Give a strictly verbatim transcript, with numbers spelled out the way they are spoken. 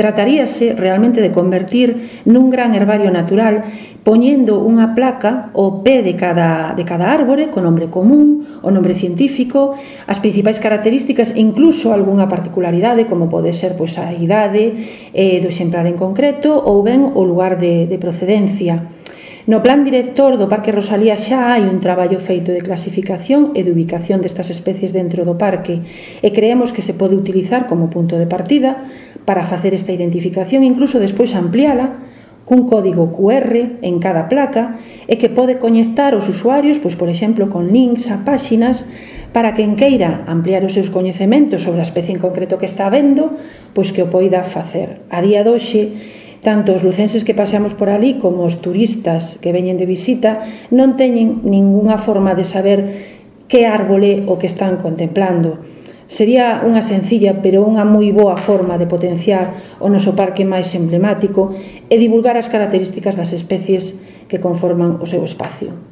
Trataríase realmente de convertir nun gran herbario natural poñendo unha placa ao pé de cada, de cada árbore co nombre común, o nombre científico, as principais características e incluso algunha particularidade como pode ser pois, a idade eh, do exemplar en concreto ou ben o lugar de, de procedencia. No plan director do Parque Rosalía xa hai un traballo feito de clasificación e de ubicación destas especies dentro do parque e creemos que se pode utilizar como punto de partida para facer esta identificación, incluso despois ampliala cun código cu erre en cada placa e que pode conectar os usuarios, pois, por exemplo, con links a páxinas para quen queira ampliar os seus coñecementos sobre a especie en concreto que está vendo, pois que o poida facer. A día de hoxe, tanto os lucenses que paseamos por ali como os turistas que veñen de visita non teñen ningunha forma de saber que árbole o que están contemplando. Sería unha sencilla pero unha moi boa forma de potenciar o noso parque máis emblemático e divulgar as características das especies que conforman o seu espacio.